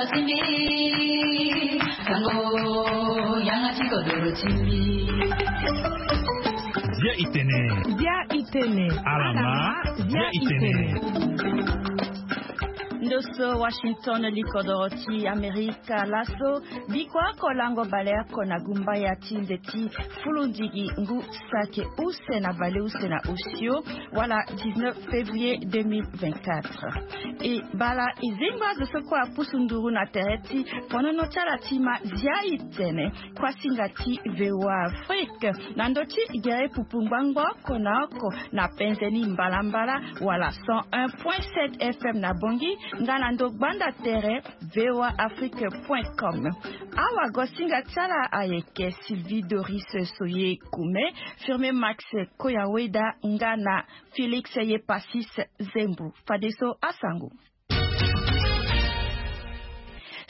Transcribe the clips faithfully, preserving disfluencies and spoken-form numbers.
Zia itene. Zia itene. Alama. Zia itene. Ndoso Washington, likodoro ti Amerika laso. Biko oko lango baleoko na gumba ya ti nze ti fulundigi ngu sake use na baleuse na osio, wala dix-neuf février deux mille vingt-quatre. E bala e zengba azo so kue apusu nduru na tere ti ponono ti ala ti ma zia itene. Kuasinga ti VOA Afrique na ndö ti gere pupu ngbangbo oko na oko na penze ni mbalambala, wala cent un point sept F M na Bangui, nga na ndo gbanda tere VOA Afrique point com. Awagosinga ti ala ayeke Sylvie Doris Soye Koume, Firme Max Koyaweda nga na Félix Yepasis Zembo. Fadeso asango.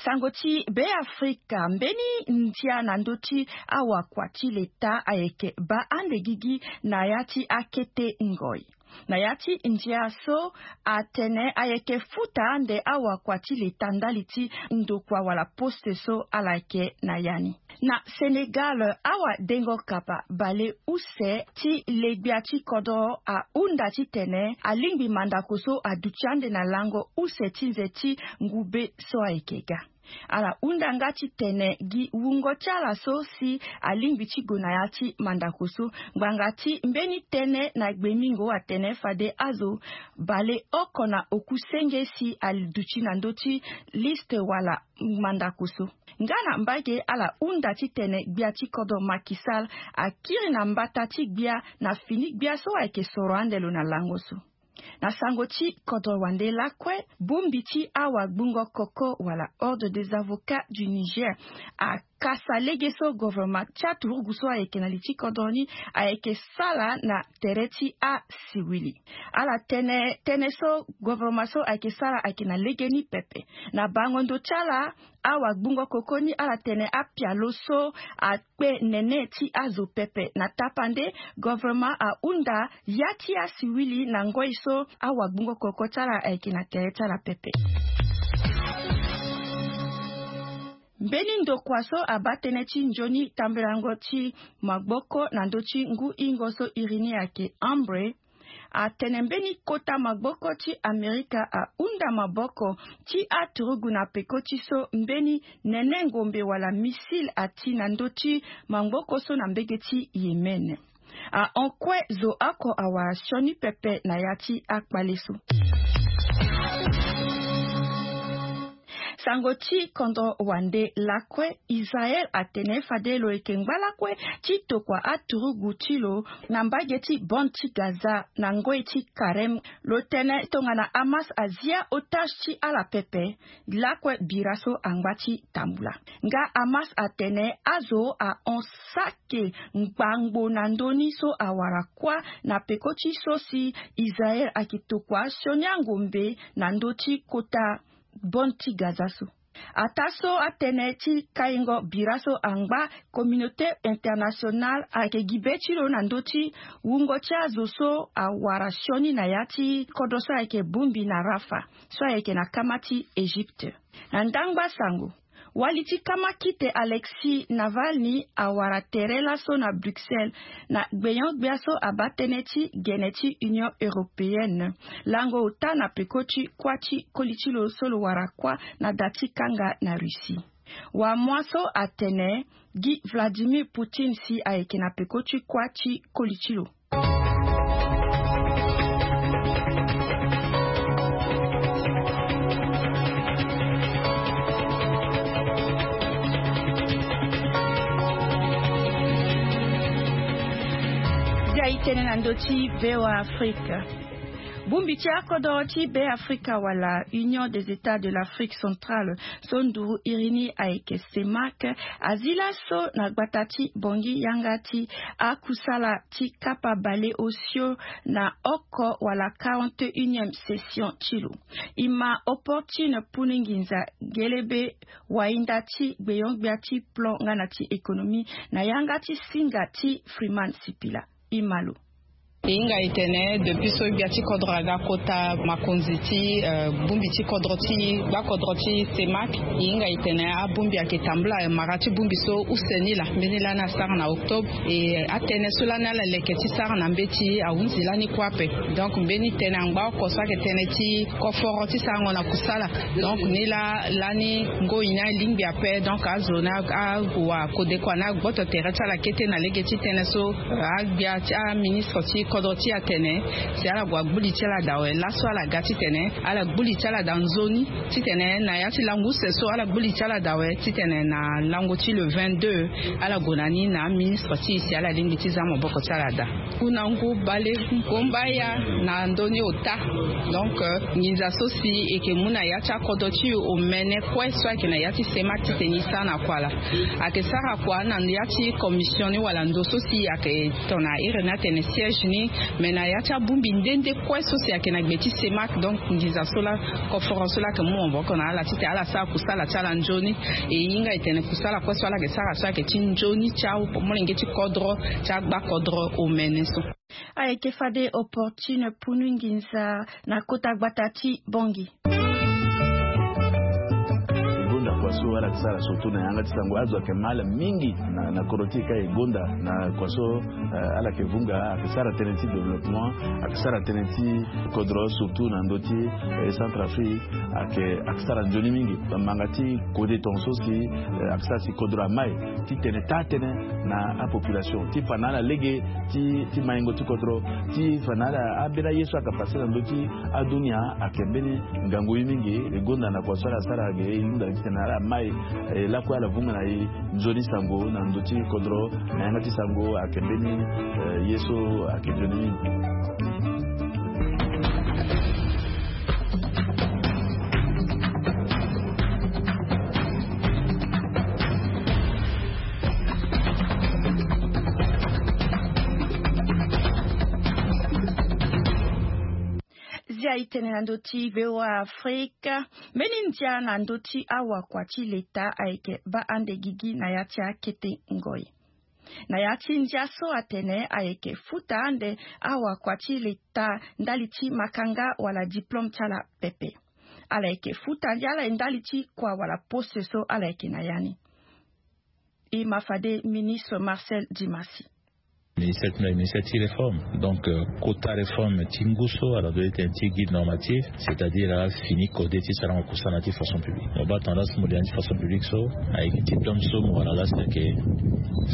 Sango ti Be Afrika, mbeni ndia na ndö ti awakua ti leta ayeke baa ande gigi na ya ti akete ngoi. Na ya ti ndia so, atene ayeke futa ande awakua ti leta ndali ti ndokua wala poste so ala yeke na ya ni. Na Sénégal, awadengo kapa baleuse ti le-gbia ti kodro ahunda titene alingbi mandako so aduti ande na lango use ti nze ti ngu be so ayeke ga. Ala hunda nga titene gi wungo ti ala so si alingbi ti gue na ya ti mandako so, ngbanga ti mbeni tënë na gbemingo atene fade azo baleoko na oku senge si aduti na ndö ti liste wala mandako so. Nga na mbage, ala hunda titene gbia ti kodro Macky Sall akiri na mbata ti gbia na fini gbia so ayeke soro ande lo na lango so. Na sango ti kodro wande lakue, bongbi ti awagbungo koko wala Ordre des Avocats du Niger akasa lege so governement ti aturugu so ayeke na li ti kodro ni ayeke sara na tere ti asiwili. Ala tene tënë so governement so ayeke sara ayeke na legeni pepe. Na bango ndo ti ala, awagbungo koko ni ala tene apialo so akpe nene ti azo pepe. Na tapande, governement ahunda ya ti asiwili na ngoi so awagbungo koko ti ala ayeke na tere ti ala pepe. Mbeni ndokua so abaa tënë ti nzoni tambelango ti maboko na ndö ti ngu hingo so iri ni ayeke Ambre, atene mbeni kota maboko ti Amerika ahunda maboko ti aturugu na peko ti so mbeni nene ngombe wala missile ati na ndö ti maboko so na mbege ti Yémen. Ahon kue zo oko awara sioni pepe na ya ti akpale so. Sango ti kodro wande lakue, Israël atene fade lo yeke ngba lakue ti tokua aturugu ti lo na mbage ti bande ti Gaza na ngoi ti Karem. Lo tene tongana Hamas azia otage ti ala pepe, lakue bira so angba ti tambula. Nga Hamas atene azo ahon sake ngbangbo na ndö ni so awara kuâ na peko ti so si Israël ayeke tokua sioni angombe na ndö ti kota bande ti Gaza so. Ataa so atënë ti kaingo bira so angba, communauté internationale ayeke gi be ti lo na ndö ti wungo ti azo so awara sioni na ya ti kodro so ayeke bongbi na Rafah, so ayeke na kama ti Égypte. Na ndangba sango, wali ti kamakite Alexei Navalny awara tere laso na Bruxelles, na gbenyo-gbia so abaa tënë ti gene ti Union européenne, lango ota na peko ti kuâ ti koli ti lo so lo wara kuâ na da ti kanga na Russie. Wamua so atene gi Vladimir Poutine si ayeke na peko ti kuâ ti koli ti lo. Zia itene na ndö ti VOA Afrique. Bongbi ti akodro ti Be Afrika wala Union des États de l'Afrique Centrale so nduru iri ni ayeke CEMAC, azi laso na gbata ti Bangui yanga ti akusala ti kapa baleosio na oko wala quarante et unième session ti lo. E ma Opportune Punu Nginza Gelebe, wahinda ti gbenyo-gbia ti plan nga na ti économie na yanga ti singa ti Freeman Sipila. E ma lo. E hinga e tene depuis so gbia ti kodro aga kota makonzi ti bongbi ti kodro ti gbakodro ti semak, e hinga e tene abongbi ayeke tambula mara ti bongbi so use ni laa mbeni lani asara na octobre. E atënë so lani ala leke ti sara na mbeti ahunzi lani kue ape. Donc mbeni tënë angba oko so ayeke tënë ti koforo ti sarango na kusala. Donc ni laa lani ngoi ni alingbi ape. Donc azo ni ague wa kodekua ni agboto tere ti ala kete na lege ti tënë so agbia ti aministre ti kodro ti atene si ala gue agbu li ti ala daa awe laso ala ga titene ala gbu li ti ala daa nzoni titene na ya ti lango use so ala gbu li ti ala daa awe titene na lango ti le vingt-deux ala gue na ni na aministre ti e si ala lingbi ti za maboko ti ala daa. Ngu na ngu bale ngomba ya na ndoni ota. Donc nginza so si e yeke mu na ya ti akodro ti e omene kue so ayeke na ya ti semak titene e sara na kua laa. Ayeke sara kua na ya ti commission ni wala ndo so si ayeke tongana iri ni atene siège ni. Mais na ya ti abongbi nde nde kue so si ayeke na gbe ti semak. Donc nginza so laa koforo so laa ayeke mu maboko na ala titene ala sara kusala ti ala nzoni. E hinga e tene kusala kue so ala yeke sara so ayeke ti nzoni ti amolenge ti kodro ti agbakodro omene so. Ayeke fade opportune punu nginza na kota gbata ti bongi. E gonda kua so ala yeke sara surtout na yanga ti sango azo ayeke ma ala mingi na kodro ti e ka e gonda na kua so ala yeke vunga ayeke sara tënë ti développement ayeke sara tënë ti kodro surtout na ndö ti centre afrique. Ayeke ayeke sara nzoni mingi manga ti kode tonga so si ayeke sara si kodro amai titene taa tënë na apopulation ti fa na ala lege ti maingo ti kodro ti fa na ala ambeni aye so ayeke pase na ndö ti adunia. Ayeke mbeni ngangu ye mingi e gonda na kua so ala sara ge e hunda titene ala mai lakue ala vunga na e nzoni sango na ndö ti kodro na yanga ti sango ayeke mbeni ye so ayeke nzoni mingi. Zia e tene na ndö ti voa afrika. Mbeni ndia na ndö ti awakua ti leta ayeke baa ande gigi na ya ti akete ngoi. Na ya ti ndia so atene ayeke futa ande awakua ti leta ndali ti makanga wala diplôme ti ala pepe. Ala yeke futa ndia ala ye ndali ti kua wala poste so ala yeke na ya ni. E ma fade ministre marcel dimasi. Ministre ti réforme donc kota réforme ti ngu so ala doit ti tene ti guide normatif c'est-à-dire ala fini code ti sarango kusana ti fonction publique mo baa tongana so mo lia ni ti fonction publique so ayeke ti plan so mo wara laa si ayeke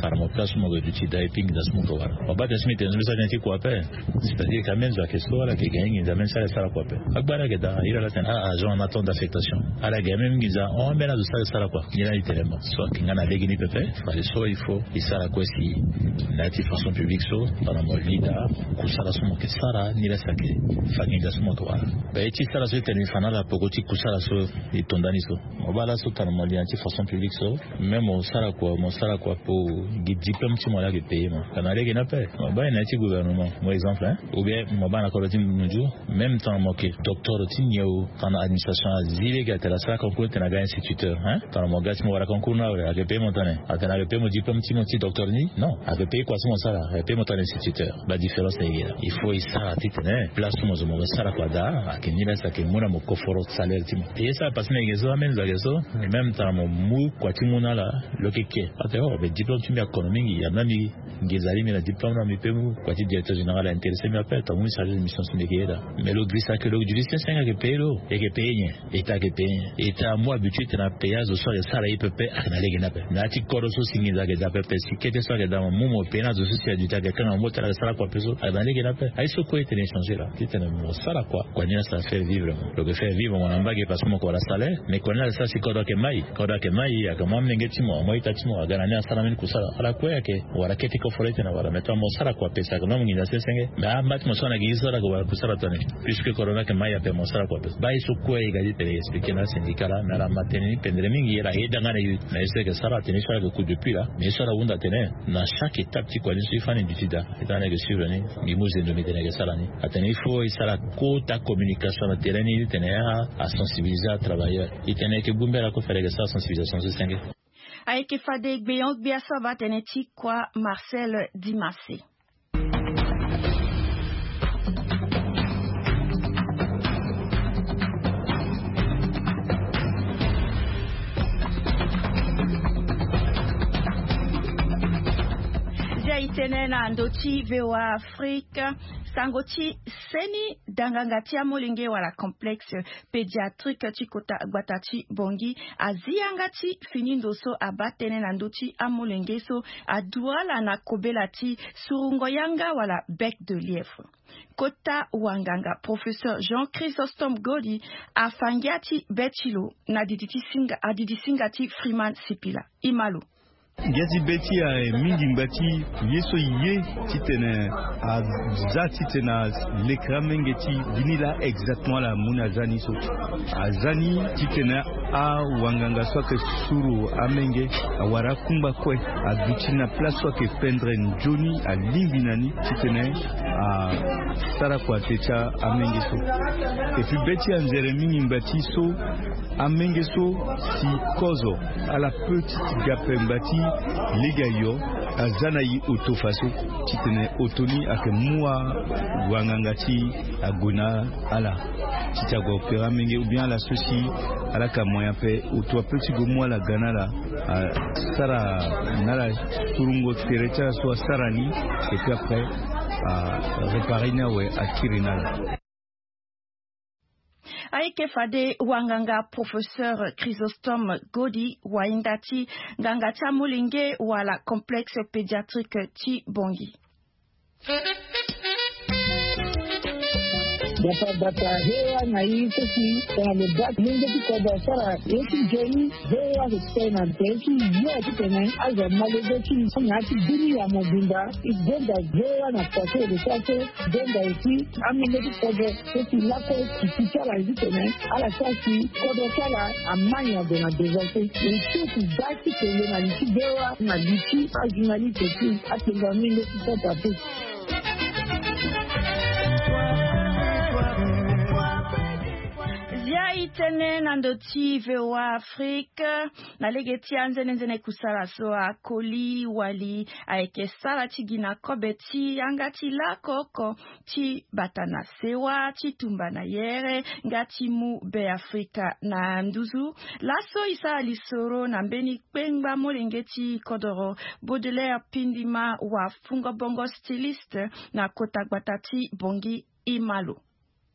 sara mo place so mo yeke duti daa epui nginza so mo yeke wara mo baa tene so mbi tene so mbi sara tene ti kua ape. C'est-à-dire ka même zo ayeke so ala yeke gagner nginza même si ala sara kua ape. Agbara ayeke daa iri ala tene a agent en attente d'affectation ala yeke gagner même nginza hon même azo so ala sara kua. Nyen la ni tene mo so ayeke nga na lege ni pepe. Fade so il faut e sara kue si na ya ti fonction publique so tongana mo li daa kusala so mo yeke sara ni la si ayeke fa nginza so mo yeke wara. Be ye ti sara so e tene mbi fa na ala poko ti kusala so e to ndani so. Mo baa laso tongana mo li na ya ti fonction publique so même mo sara kua mo sara kua po gi diplôme ti mo la ayeke payer mo. Tongana lege ni ape mo baa e na ya ti gouvernement mo exemple hein ou bien mo baa na kodro ti munju. Même tongana mo yeke docteur ti nyen o tongana administration azi lege atene asara concours tene aga instituteur hein tongana mo ga ti mo wara concours ni awe ayeke payer mo tene atene ayeke payer mo diplôme ti mo ti docteur ni non ayeke payer kua so mo sara ayeke payer mo tene instituteur. Badifférence ayeke daa il faut e sara titene place so mo zo mo sara kua daa ayeke ni la si ayeke mu na mo koforo salaire ti mo. E ye sara parce que na yeke so ameni zo ayeke so même tongana mo mu kua ti mu na ala lo yeke ke ate o be diplôme ti mbi akono mingi ya na mbi nginza li mbi na diplôme na mbi pe mu kua ti directeur général aintéressé mbi ape tongana mu mbi chargé de mission so mbi yeke ye daa. Mais lo girisa ayeke lo girisa senge ayeke payer lo e yeke payer nyen? Eta ayeke payer nyen? Eta amu habitude tena payer azo so ayeke sara ye pepe ayeke na lege ni ape. Na ya ti kodro so si nginza ayeke daa pepe si kete so ayeke daa mo mu mo payer na azo so si aduti ayeke kanga mo tena ayeke sara kua ape so ayeke na lege ni ape. Aye so kue e tene e changer laa titene mo sara kua kua ni la si afaire vivre mo lo yeke faire vivre mo na mbage parce que mo yeke wara salaire. Mais kua ni la si asara si kodro ayeke mai kodro ayeke mai ayeke mu amolenge ti mo amu a-ita ti mo aga na ni asara mbeni kusala ala kue ayeke wala kete koforo ti tene wala mais tongana mo sara kua pesa ayeke na mo nginza sensenge. Mais amba ti mo so ana gi so ala yeke wala kusala tongana ni puisque kodro ni ayeke mai ape mo sara kua pesa baa ye so kue e ga ti tene e expliquer na asyndicat laa mais ala ma tënë ni pendere mingi ala yeda nga na e na ye so e yeke sara atene ye so ala yeke coût de puits laa mais ye so ala hunda atene na chaque étape ti kua ni so e fani duti daa. E tanga ni ayeke suivre ni mbi mu zendo mbi tene e yeke sara ni. Atene il faut e sara kota communication na terrain ni ti tene a sensibiliser atravailleur. E tene e yeke gbu mbela kue fade e yeke sara sensibilisation so senge. Ayeke fade gbeon-gbia so abaa tënë ti kua marcel dimase. tene na ndo ti VOA Afrique, sango ti seni danganga ti amolenge wala complexe pédiatrique ti kota gbata ti Bangui azi yanga ti fini ndo so abaa tënë na ndö ti amolenge so aduala na kobela ti surungo yanga wala bec de lièvre. Kota wanganga professeur Jean Chrysostome Godi afa ngia ti be ti lo na didi ti singa, adidi singa ti Freeman Sipila. E ma lo. Ngia ti be ti aye mingi ngba ti ye so e ye titene aza titene alekere amenge ti gi ni laa exactement ala mu na aza ni so. Aza ni titene awanganga so ayeke suru amenge awara akungba kue aduti na place so ayeke pendre nzoni alingbi na ni titene asara kua te ti amenge so. Et puis be ti anzere mingi ngba ti so amenge so si kozo ala peut ti ga ape ngba ti lege ayo aza na e oto faso titene oto ni ayeke mu awanganga ti ague na ala ti ti ague opérer amenge ou bien ala so si ala yeke na moyen ape oto ape ti gue mu ala ga na ala asara na ala surungo tere ti ala so asara ni et puis après aréparer ni awe akiri na ala. Ayeke fade wanganga professeur Chrysostome Godi wahinda ti nganga ti amolenge wala complexe pédiatrique ti Bangui. Bata bata he wa na yi so si tongana lo baa ti lenge ti kodro asara ye ti nzoni. Ve wa so ti tene na tere ti yo titene azo amalege ti nzoni na ya ti bini ya mobimba. E gonda ve wa na kua so e lo sara so. Gonda aussi amolenge ti kodro so si lakue ti ti ti ala titene ala sara si kodro ti ala ama nyen ague na devant so. E so si baa ti tene na li ti ve wa na li ti ajournaliste ti atenga amolenge ti santa pe. Zia e tene na ndo ti VOA Afrique. Na lege ti anzenenzene kusala so akoli wali ayeke sara ti gi na kobe ti yanga ti lako oko ti bata na sewa ti tumba na yere nga ti mu Be Afrika na nduzu. Laso e sara lisoro na mbeni kpengba molenge ti kodoro Baudelaire Pindima wa Fungo Bongo styliste na kota gbata ti Bongi. E ma lo.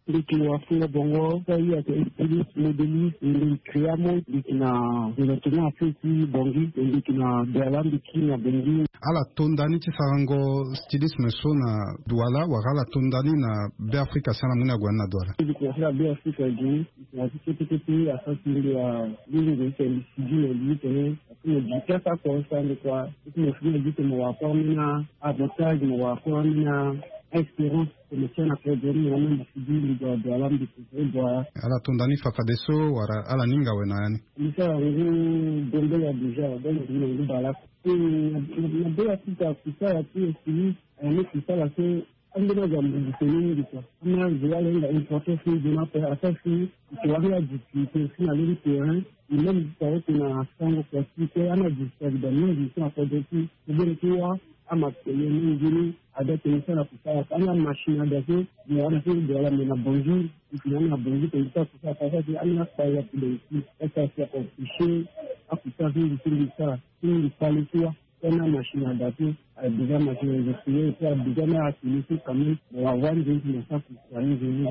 Mbi yeke wafungo bongo so aye ayeke styliste modéliste, mbi yeke créer amont, mbi yeke na département Afrique ti Bongi, mbi yeke na Douala, mbi yeke na Bongi. Ala to nda ni ti sarango stylisme so na Douala wala ala to nda ni na Be Afrika si ala mu ni ague na Douala? Mbi yeke na Be Afrika gi, mbi yeke na ti kete kete asara si mbi wa mbi nze ti tene mbi sigi na li ti tene. Parce que mo gi ti asara kua so ande kua, si mo fini mo gi tene mo wara kua ambeni avantage, mo wara kua ambeni a-espérance. Tene ti ana kue geri na ni mbi sigi mbi gue na Douala mbi préféré gue. Ala to nda ni fafadeso wala ala ninga awe na ya ni? Mbi sara ngu Gombe ya déjà, donc mbi na ngu bale oko. E na, na, na Be Afrika kusala ti styliste, e, mbi kusala so ambeni azo amobiliser ni mingi kua. Ambeni azo ala hinga importance ni zo ni ape, asara si e wara ni adifficulté si na lo ti terrain. E même ti tara oko na sango kua ti e kue, ambeni adifficulté ayeke daa mingi so na kodro ti e. Problème ti wâ amatériel ni nzoni. Ada tene so ala kusala, ala machine ada so, mo wara so Douala me na Bongi, e fini na Bongi tene so ala kusala, ala sara si ala na kpari ape de si, ala sara si aempêcher akusala so mbi so mbi sara, so mbi kpale so wâ, so ala na machine ada so, ala déjà machine ada so, so ala déjà na atelier so quand même, mo wara wâ nzoni si mo sara kusala nzoni.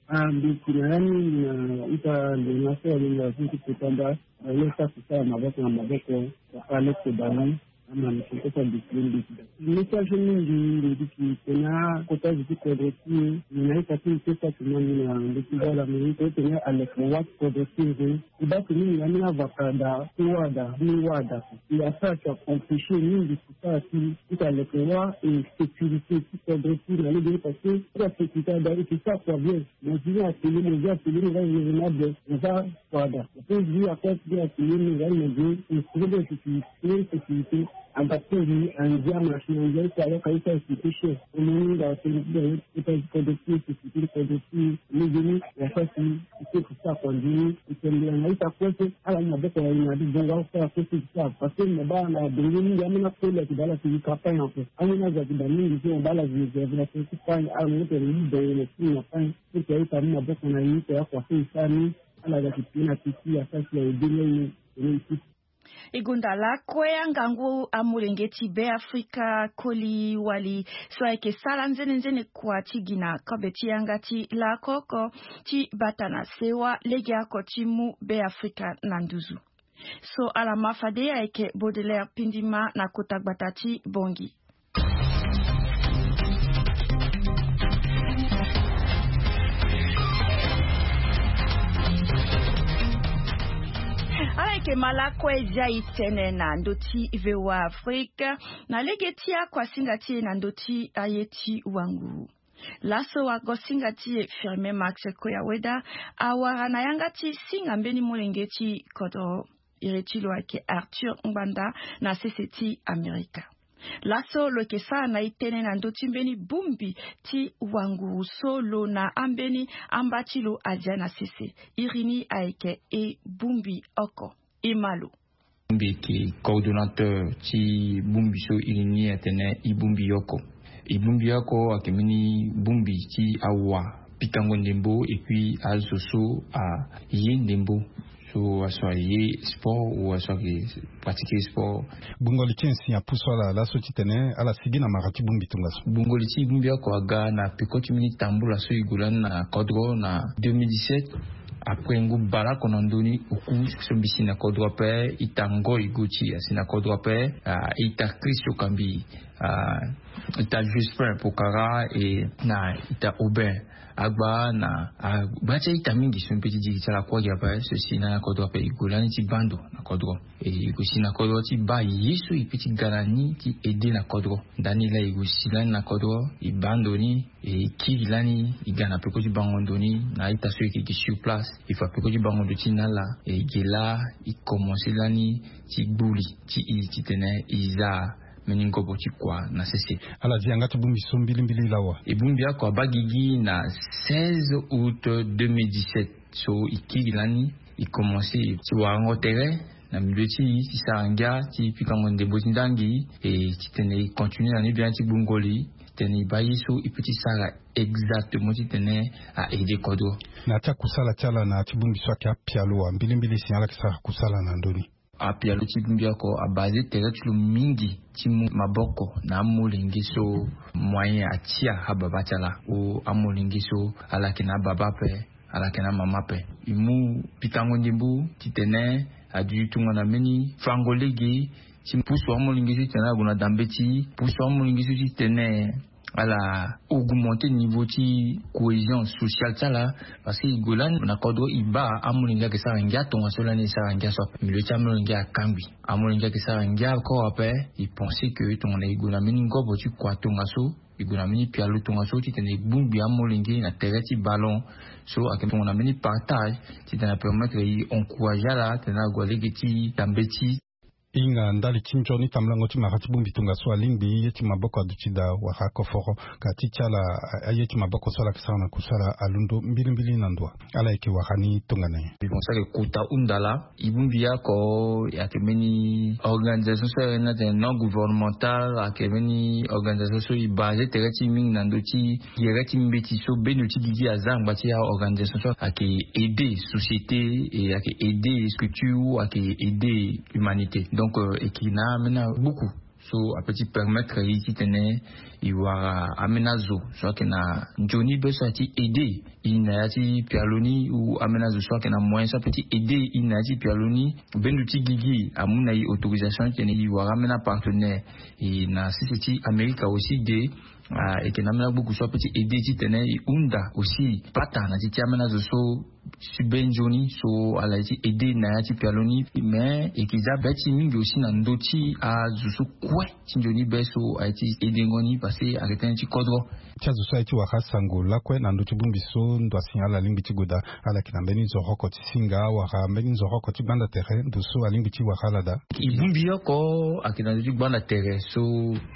Ah, mbi yeke na ya ni, mbi na ita nzoni na so alingbi so ti kota nda, mo ye sara kusala maboko na maboko, mo kpale kobala ni. Ama mbi yeke kota décider mbi yeke daa. Message mingi mbi yeke tene akota zo ti kodro ti e, mbi na ita ti mbi kue saki na mbi na mbi ti bala mbi yeke tene aleke wâ ti kodro ti e nzoni. E baa tene mbi na ambeni avaka daa, ti wâ daa, mbi wâ daa. E asara si aempêcher mingi kusala ti e, ti aleke wâ, e sécurité ti kodro ti e na lege ni parce que ti asécurité ada e yeke sara kua bien. Mo zi ni atelier, mo zi atelier, mo za raisonnable, mo za Fada. Ape zi akua ti atelier ni nga ni mo zi instrument de sécurité, sécurité. Anda ti mbi andia machine andia ti ala ka ita sécurité chef. Mo ni nga atelier ti da ye ti kota ti kodro ti sécurité ti kodro ti lege ni. Ya fa si ite ti sara kua nzoni. Itene mbi na ita kue so ala ni maboko na ye na adi bongo ala sara kue so ti sara. Parce que mo baa na bongo mingi ambeni akoli ayeke daa ala ti zi ka pagne ape. Ambeni azo ayeke daa mingi so mo baa ala zi réserve na kue ti pagne ala mo tene ni da ye na ti na pagne. Ti aita mu maboko na ye ti akua so e sara ni. Ala ga ti pie na peti asara si aye be ni aye. Tene e ti. E gonda lakue angangu amolenge ti Beafrika koli wali so ayeke sara nzene nzene kua ti gi na kobe ti yanga ti laoko oko ti bata na sewa legeoko ti mu Beafrika na nduzu. So ala ma fade ayeke Baudelaire Pindima na kota gbata ti Bongi. Ala yeke ma lakue zia e tene na ndö ti V O A Afrique na lege ti akuasinga ti e na ndö ti aye ti wanguru. Laso wagosinga ti e Firmin Max Koyaweda awara na yanga ti singa mbeni molenge ti kodro. Iri ti lo ayeke Arthur Ngbanda na sese ti Amerika. Laso lo yeke sara na e tënë na ndö ti mbeni bongbi ti wanguru so lo na ambeni amba ti lo azia na sese. Iri ni ayeke e bongbi oko. E ma lo. Mbi yeke coordonnateur ti bongbi so iri ni atene e bongbi oko. E bongbi oko ayeke mbeni bongbi ti awa pikango ndembo et puis azo so aye ndembo, so aso aye sport ou aso ayeke pratiquer sport. Gbungo li ti e si apusu ala laso titene ala sigi na mara ti bongbi tongaso. Gbungo li ti bongbi oko aga na peko ti mbeni tambula so e gue lani na kodro na deux mille dix-sept. Après ngu baleoko na ndö ni oku so mbi si na kodro ape, ita Ngoi Goti asi na kodro ape, ah, ita Christo Kambi, ah, ita Jospin Pokara e na ita Aubin Agba na agba ti a-ita mingi so mbi pe ti diri ti ala kue gi ape so si na kodro ape. E gue lani ti baa ndo na kodro. E gue si na kodro ti baa ye so e pe ti ga na ni ti aide na kodro. Ndani laa e gue si lani na kodro, e baa ndo ni, e kiri lani, e ga na peko ti bango ndo ni na a-ita so e yeke gi sur place. E fa peko ti bango ndo ti na ala, e ge laa e commencer lani ti gbu li ti e titene e za mbeni ngobo ti kua na sese. Ala zi yanga ti bongbi so mbilimbili lawa. E bongbi oko abaa gigi na seize août deux mille dix-sept. So e kiri lani, e commencer ti warango tere na milieu ti e ti sara ngia ti pikango ndembo ti ndangi, e titene e continuer na ni bien ti gbungo li titene e baa ye so e pe ti sara exactement titene a aider kodro. Na ya ti akusala ti ala na ya ti bongbi so ayeke apialo wa mbilimbili si ala yeke sara kusala na ndö ni? Apialo ti bongbi oko abaser tere ti lo mingi ti mu maboko na amolenge so moyen atia ababa ti ala, ou amolenge so ala yeke na ababa ape, ala yeke na amama ape. E mu pikango ndembo titene aduti tongana mbeni fango lege ti pusu amolenge so titene ala gue na dambe ti pusu amolenge so titene ala augmenter niveau ti cohésion sociale ti ala. Parce que e gue lani na kodro e baa amolenge ayeke sara ngia tongaso lani e sara ngia so ape, milieu ti amolenge akangbi. Amolenge ayeke sara ngia encore ape. E penser que tongana e gue na mbeni ngobo ti kua tongaso, e gue na mbeni pialo tongaso titene e gbungbi amolenge na tere ti ballon. So ayeke tongana mbeni partage titene apermettre e encourager ala titene ague na lege ti dambe ti hinga ndali ti nzoni tambulango ti mara ti bongbi tongaso alingbi ye ti maboko aduti daa wala akoforo. Ka ti ti ala aye ti maboko so ala yeke sara na kusala alondo mbilimbili na ndo wa. Ala yeke wara ni tongana nyen? Bon, so ayeke kota hunda laa, e bongbi oko ayeke mbeni organisation so ayeke na tene non gouvernemental, ayeke mbeni organisation so e baser tere ti e mingi na ndö ti gere ti mbeti so bendo ti gigi aza angba ti a-organisation so ayeke aider société, e ayeke aider structure, ayeke aider humanité. Donc e yeke na ambeni agbuku so ape ti permettre e titene e wara ambeni azo so ayeke na nzoni be so aye ti aider e na ya ti pialo ni, ou ambeni azo so ayeke na moyen so ape ti aider e na ya ti pialo ni. Bendo ti gigi amu na e autorisation titene e wara ambeni apartenaire. E na sese ti Amerika aussi de, ah, e yeke na ambeni agbuku so ape ti aider titene e hunda aussi pata na ti ti ambeni azo so si be nzoni so ala ye ti aider na ya ti pialo ni. Mais e yeke za be ti e mingi aussi na ndö ti azo so kue ti nzoni be so aye ti aider ngo ni parce que ayeke tënë ti kodro. Ti azo so aye ti wara asango lakue na ndö ti bongbi so ndo asi ala lingbi ti gue daa, ala yeke na mbeni nzoroko ti singa wala mbeni nzoroko ti gbanda tere ndo so alingbi ti wara ala daa? E bongbi oko ayeke na ndö ti gbanda tere so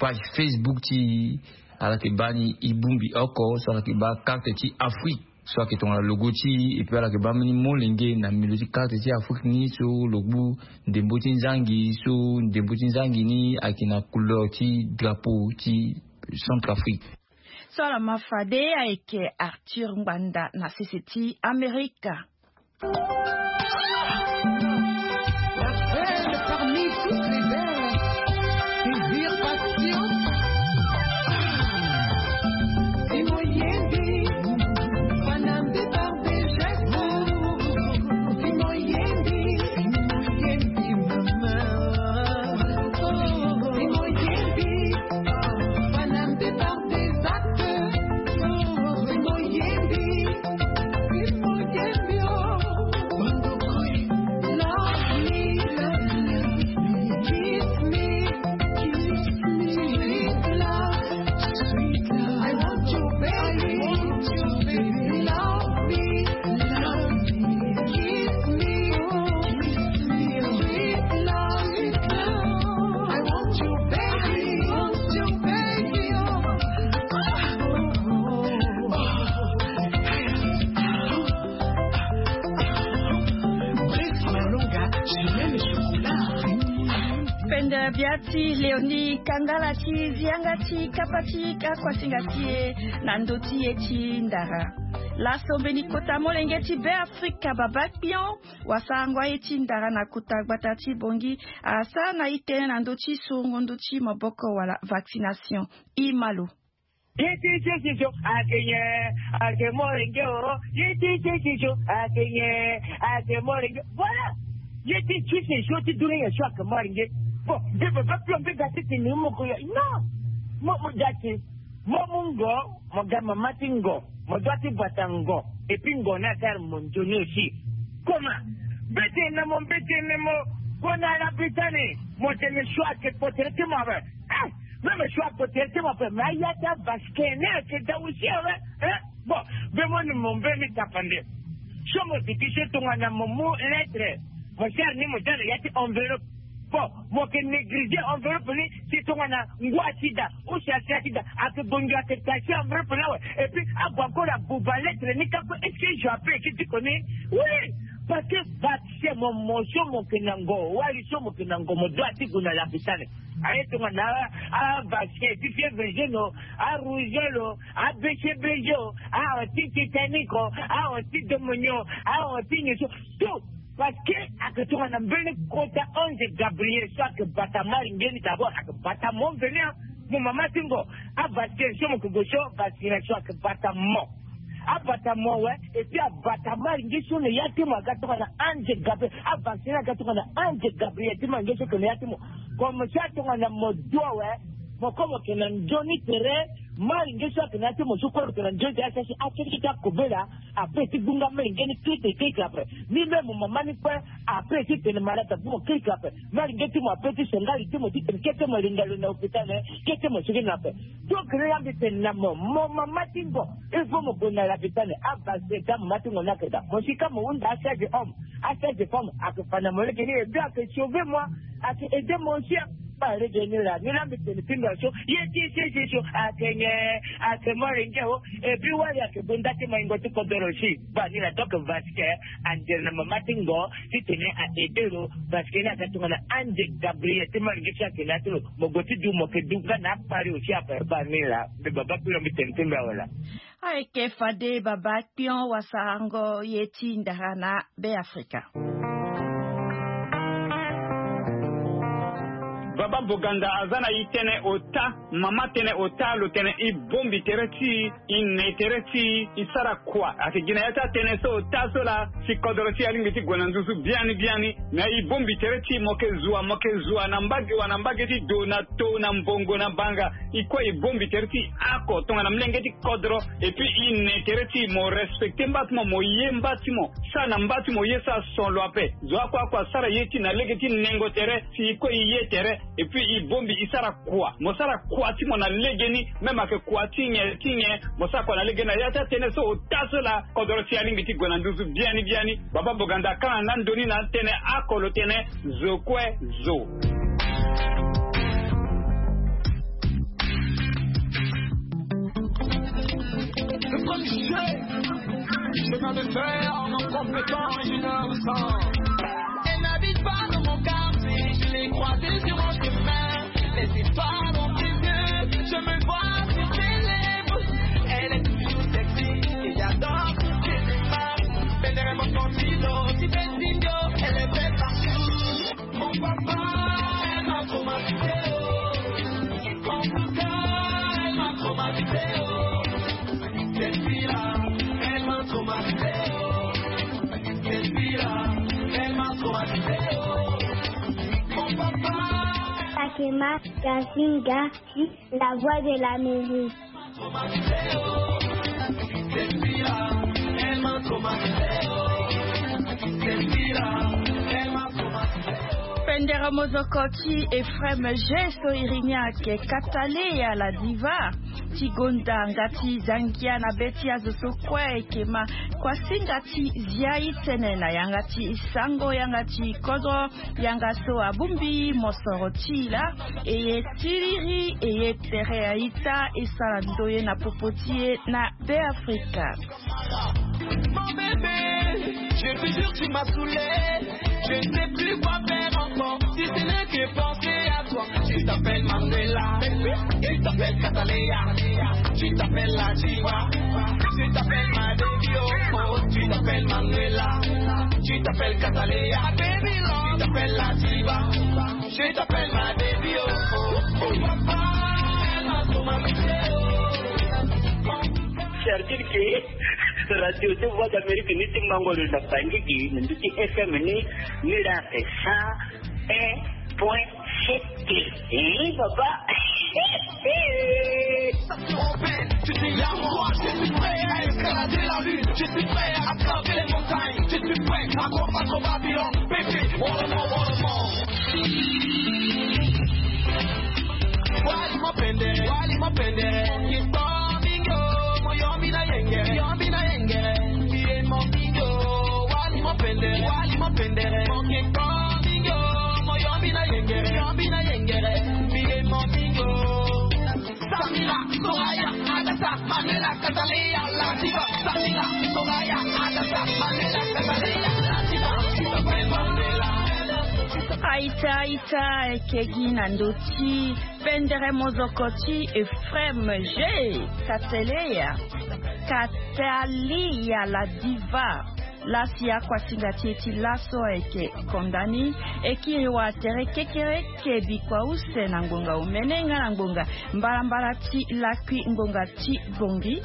page Facebook ti e, ala yeke baa ni e bongbi oko so ala yeke baa karte ti Afrique. So ayeke tongana logo ti e, et puis ala yeke baa mbeni molenge na milieu ti karte ti Afrique ni so lo gbu ndembo ti nzangi, so ndembo ti nzangi ni ayeke na couleur ti drapeau ti Centrafrique. So ala ma fade ayeke Arthur Ngbanda na sese ti Amerika. La belle par Bia ti Léonie Kandala ti zi yanga ti kapa ti akuasinga ti e na ndö ti e ti ndara. Laso mbeni kota molenge ti Beafrika, babakpion, wasarango aye ti ndara na kota gbata ti Bongi asara na e tënë na ndö ti sorongo ndö ti maboko wala vaccination. E ma lo. Ye ti sese so ake nyen? Ake molenge o. Ye ti sese so ake nyen? Ake molenge. Voilà. Ye ti sese so ti dunia so ake molenge. Bon, mbi baba pio mbi ga ti tene mo ko ya. Non. Mo, mo ga ti, mo mu ngo, mo ga mama ti ngo, mo dua ti bata ngo. Et puis ngo ni asara mo nzoni aussi. Comment? Mbeti na mo, mbeti na mo. Gue na lapitani, mo tene so ake kpo tere ti mo ape. Eh, même so ake kpo tere ti mo ape, mais aya ti avaccin ni ake daa aussi awe. Eh, bon, mbe mo ni mo mbeni tapande. So mo duti so tongana mo mu lettre, mo sara ni mo daa na ya ti enveloppe. Bon, mo ke négliger enveloppe ni, si tongana ngu asida ou si asi asida, ake bongi ake tacher enveloppe ni awe. Et puis ague encore abuba lettre ni kâ kue. Est-ce que je appelle ki ti koni? Oui, parce que vaccin mo, mo so mo ke na ngo, wali so mo ke na ngo, mo dua ti gue na lapitani. Aye tongana a, a vaccin ti fièvre jaune o, a rougeole o, a B C B G o, a anti-tétanique o, a anti-pneumonie o, a anti nyen so, tout. Parce que ake tongana mbeni kota ange Gabriel so ake bata malinge ni, d'abord ake bata mo mveni, a mo mama ti ngo. A vaccin so mo ke gue so, vaccination ake bata mo. Abata mo awe, et puis abata malinge so na ya ti mo aga tongana ange Gabriel. Avaccin aga tongana ange Gabriel ti malinge so ke na ya ti mo. Comme ça tongana mo dua awe, mo ko mo ke na nzoni tere. Malinge so ake na ya ti mo so kue lo ke na nzoni tere, asi asi akirikiri ti akobela. Ape ti gbunga malinge ni kirikiri kirikiri ape. Ni même mo mama ni kue, ape ti tene malade abu mo kirikiri ape. Malinge ti mo ape ti sengali ti mo ti tene kete mo linga lo na hôpital, kete mo sigi na ape. Donc ni la mbi tene na mo, mo mama ti ngo, il faut mo gue na lapitani. Abase ka mama ti ngo ni ake daa. Mo si ka mo hunda asage homme, asage femme ake fa na mo lege ni, et puis ake sauver moi, ake aider moi aussi. Ba lege ni la, ni la mbi tene ti ndo so. Ye ti sese so ake nyen? Ake molenge o. Et puis wali ake gue nda ti maingo ti kodoro si. Ba ni la, donc vaccin andere na mama ti ngo ti tene a aider lo. Parce que ni aga tongana ange Gabriel ti malinge so ake na ya ti lo. Mo gue ti du, mo ke du nga na akpari aussi ape. Ba ni la, mbi baba kpiro mbi tene ti mbi awe la. Ayeke fade baba kpion wasarango ye ti ndara na Beafrika. Baba Boganda aza na e tënë ota, mama tënë ota, lo tene e bongbi tere ti e, e ne tere ti e, e sara kua. Ayeke gi na ya ti atënë so ota so laa, si kodoro ti e alingbi ti gue na nduzu biani biani. Me e bongbi tere ti e, mo yeke zo wa, mo yeke zo wa na mbage wa, na mbage ti do, na to, na mbongo, na banga. E kue e bongbi tere ti e oko tongana molenge ti kodro. Et puis e ne tere ti e, mo respecter mba ti mo, mo ye mba ti mo, sara na mba ti mo ye, sara son lo ape. Zo oko oko asara ye ti e na lege ti nengo tere, si e kue e ye tere. Et puis e bongbi e sara kua. Mo sara kua ti mo na legeni, même ayeke kua ti nyen ti nyen, mo sara kua na legeni. Na ya ti atënë so ota so laa, kodoro ti e alingbi ti gue na nduzu biani biani. Baba Boganda akanga nga ndoni na atënë oko, lo tene zo kue zo. Le premier jeu, c'est dans le faire en compétent et innocent. Elle n'habite pas dans mon quartier, je l'ai croisée sur mon chemin. Les histoires dans tes yeux, je me vois sur tes lèvres. Elle est toujours sexy, et j'adore toutes ses démarches. Bendere mon continent, si Benzinho, elle est belle partout. Mon papa, elle m'a traumatisé, oh. En tout cas, elle m'a traumatisé, oh. Cette fille-là, elle m'a traumatisé, oh. Cette fille-là, elle m'a traumatisé, oh. Mon papa. Fatima Kasinga, la voix de l'Amérique. Pendere mozoko ti Ephraim G so iri ni ayeke Kataleya la diva. Ti gonda nga ti zangia na be ti azo so kue ayeke ma kuasinga ti zia e tënë na yanga ti sango, yanga ti kodro. Yanga so abongbi mosoro ti e laa, e ye tiriri, e ye tere a-ita, e sara ndoye na popo ti e na Beafrika. Mon bébé, je te jure, tu m'as saoulé. Je ne sais plus quoi faire encore, si ce n'est que penser à Tu t'appelles Manuela, tu t'appelles Cataleya, tu t'appelles la diva, tu t'appelles ma baby, oh, oh, tu t'appelles Manuela, tu t'appelles Cataleya, baby love, tu t'appelles la diva, tu t'appelles ma baby, oh, oh, oh, papa, elle m'a trop mal fait, oh. C'est-à-dire que Radio de Voix d'Amérique ni ti mango lo na Bangui gi, na ndu ti F M ni, ni la cent un point sept. Eh, papa. Tu dis à moi, je suis prêt à escalader la lune, je suis prêt à traverser les montagnes, je suis prêt à combattre Babylone, bébé, oh le monde, oh le monde. Wali mapendere, wali mapendere. Moki kpo mingi o, mo yombi na yengere, yombi na yengere. Mbiye mo mingi o, wali mapendere, wali mapendere. Moki kpo mingi o, mo yombi na yengere, yombi na yengere. Mbiye mo mingi o. Samira, Soraya, Adassa, Manuela, Cataleya, la diva. Samira, Soraya, Adassa, Manuela, Cataleya, la diva. Tu t'appelles Manuela. Aita, aita, eke gi na ndö ti pendere mozoko ti Ephraim G. Cataleya, Cataleya la diva. Lasi akuasinga ti e ti laso ayeke konda ni. E kiri wa tere kekereke bikua use na ngbonga omene nga na ngbonga mbalambala ti lakui ngbonga ti Bangui.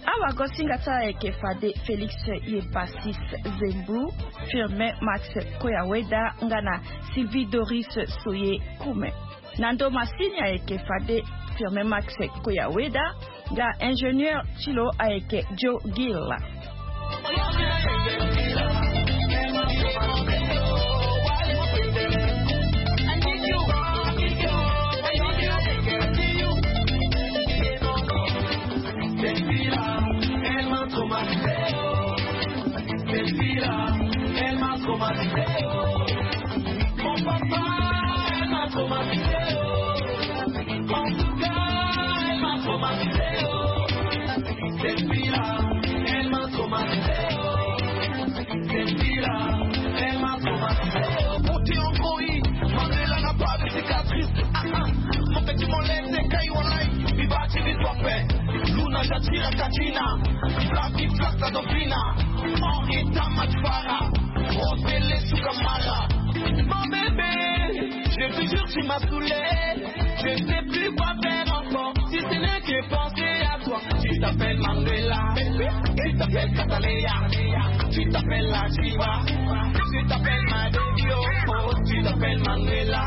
Awagosinga ti ala ayeke fade Félix Yepasis Zembu, Firmin Max Koyaweda nga na Sylvie Doris Soye Koume. Na ndo masini ayeke fade Firmin Max Koyaweda nga ingénieur ti lo ayeke Joe Gill. Mon papa, elle m'a traumatisé, oh. En tout cas, elle m'a traumatisé, oh. Cette fille-là, elle m'a traumatisé, oh. Cette fille-là, elle m'a traumatisé, oh. Beauté en croix, Manuela n'a pas de cicatrice. Ah, ah. Mon petit molette, c'est Kaiwalai. Viva Chili Tope. Luna Jatira Katina. Viva Viva Sadovina. Henri Tamatfara. Rosele Sukamara. Mon bébé, je te jure, tu m'as saoulé. Je ne sais plus quoi faire encore, si ce n'est que penser à toi. Tu t'appelles Manuela, tu t'appelles Cataleya, tu t'appelles la diva, tu t'appelles ma baby, oh, oh, tu t'appelles Manuela,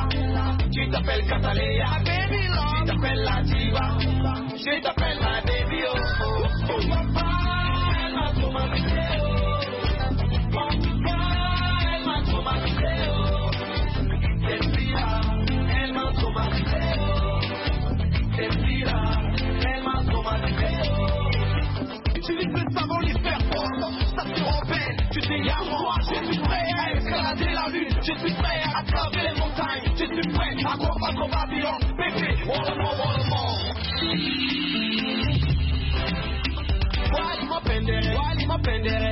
tu t'appelles Cataleya, baby love, tu t'appelles la diva, tu t'appelles ma baby, oh, oh, oh, papa, elle m'a traumatisé, oh. En tout cas, elle m'a traumatisé, oh. Cette fille-là, elle m'a traumatisé, oh. Cette fille-là, elle m'a traumatisé, oh. Utilise le savon, l'hiver, oh. Ça te rappelle, tu dis à moi, je suis prêt à escalader la lune, je suis prêt à traverser les montagnes, je suis prêt à combattre Babylone, bébé, oh le monde, oh le monde. Wali mapendere, wali mapendere.